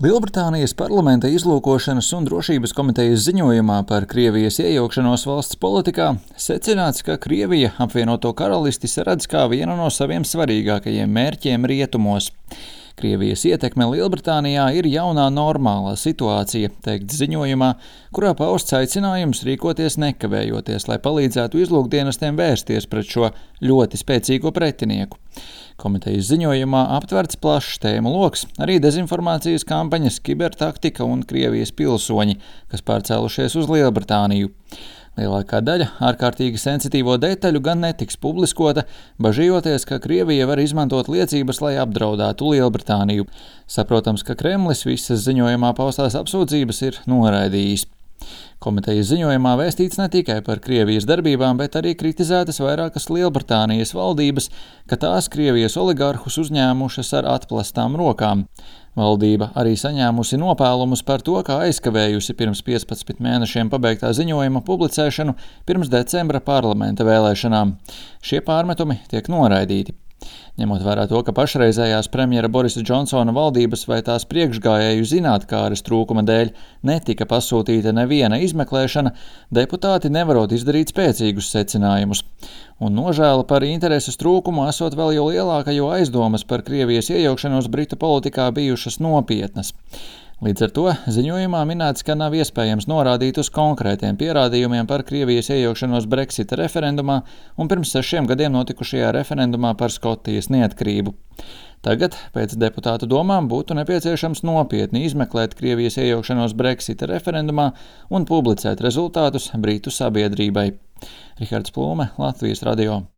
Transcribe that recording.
Lielbritānijas parlamenta izlūkošanas un drošības komitejas ziņojumā par Krievijas iejaukšanos valsts politikā secināts, ka Krievija apvienoto karalisti redz kā vienu no saviem svarīgākajiem mērķiem rietumos. Krievijas ietekme Lielbritānijā ir jaunā normālā situācija, teikts ziņojumā, kurā pausts aicinājums rīkoties nekavējoties, lai palīdzētu izlūkdienestiem vērsties pret šo ļoti spēcīgo pretinieku. Komitejas ziņojumā aptverts plašs tēmu loks, arī dezinformācijas kampaņas, kibertaktika un Krievijas pilsoņi, kas pārcēlušies uz Lielbritāniju. Lielākā daļa ārkārtīgi sensitīvo detaļu gan netiks publiskota, bažījoties, ka Krievija var izmantot liecības, lai apdraudētu Lielbritāniju. Saprotams, ka Kremlis visas ziņojumā paustās apsūdzības ir noraidījis. Komitejas ziņojumā vēstīts ne tikai par Krievijas darbībām, bet arī kritizētas vairākas Lielbritānijas valdības, ka tās Krievijas oligarhus uzņēmušas ar atplastām rokām. Valdība arī saņēmusi nopēlumus par to, kā aizkavējusi pirms 15 mēnešiem pabeigtā ziņojuma publicēšanu pirms decembra parlamenta vēlēšanām. Šie pārmetumi tiek noraidīti. Ņemot vērā to, ka pašreizējās premjera Borisa Džonsona valdības vai tās priekšgājēju zinātkāres trūkuma dēļ netika pasūtīta neviena izmeklēšana, deputāti nevarot izdarīt spēcīgus secinājumus. Un nožēla par intereses trūkumu esot vēl jau lielāka, jo aizdomas par Krievijas iejaukšanos Britu politikā bijušas nopietnas. Līdz ar to ziņojumā minēts, ka nav iespējams norādīt uz konkrētiem pierādījumiem par Krievijas iejaukšanos Brexita referendumā un pirms 6 gadiem notikušajā referendumā par Skotijas neatkarību. Tagad, pēc deputātu domām, būtu nepieciešams nopietni izmeklēt Krievijas iejaukšanos Brexita referendumā un publicēt rezultātus Britu sabiedrībai. Rihards Plūme, Latvijas radio.